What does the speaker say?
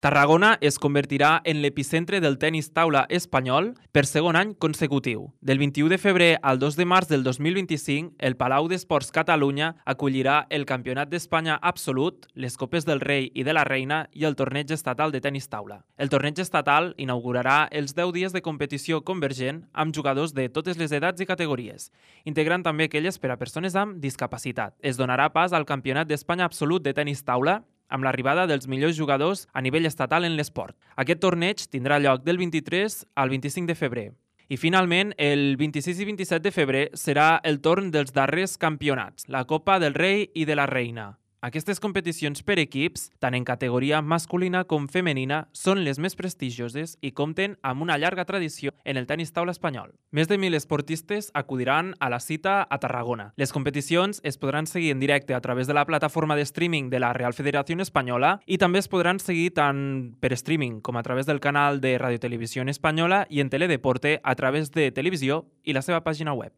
Tarragona es convertirà en l'epicentre del tenis taula espanyol per segon any consecutiu. Del 21 de febrer al 2 de març del 2025, el Palau d'Esports Catalunya acollirà el Campionat d'Espanya Absolut, les Copes del Rei i de la Reina i el Torneig Estatal de Tenis Taula. El torneig estatal inaugurarà els 10 dies de competició convergent amb jugadors de totes les edats i categories, integrant també aquelles per a persones amb discapacitat. Es donarà pas al Campionat d'Espanya Absolut de Tenis Taula, amb l'arribada dels millors jugadors a nivell estatal en l'esport. Aquest torneig tindrà lloc del 23 al 25 de febrer. I finalment, el 26 i 27 de febrer serà el torn dels darrers campionats, la Copa del Rei i de la Reina. Aquestes competicions per equips, tant en categoria masculina com femenina, són les més prestigioses i compten amb una llarga tradició en el tenis taula espanyol. Més de 1.000 esportistes acudiran a la cita a Tarragona. Les competicions es podran seguir en directe a través de la plataforma de streaming de la Real Federació Espanyola i també es podran seguir tant per streaming com a través del canal de Radio Televisió Espanyola i en Teledeporte a través de televisió i la seva pàgina web.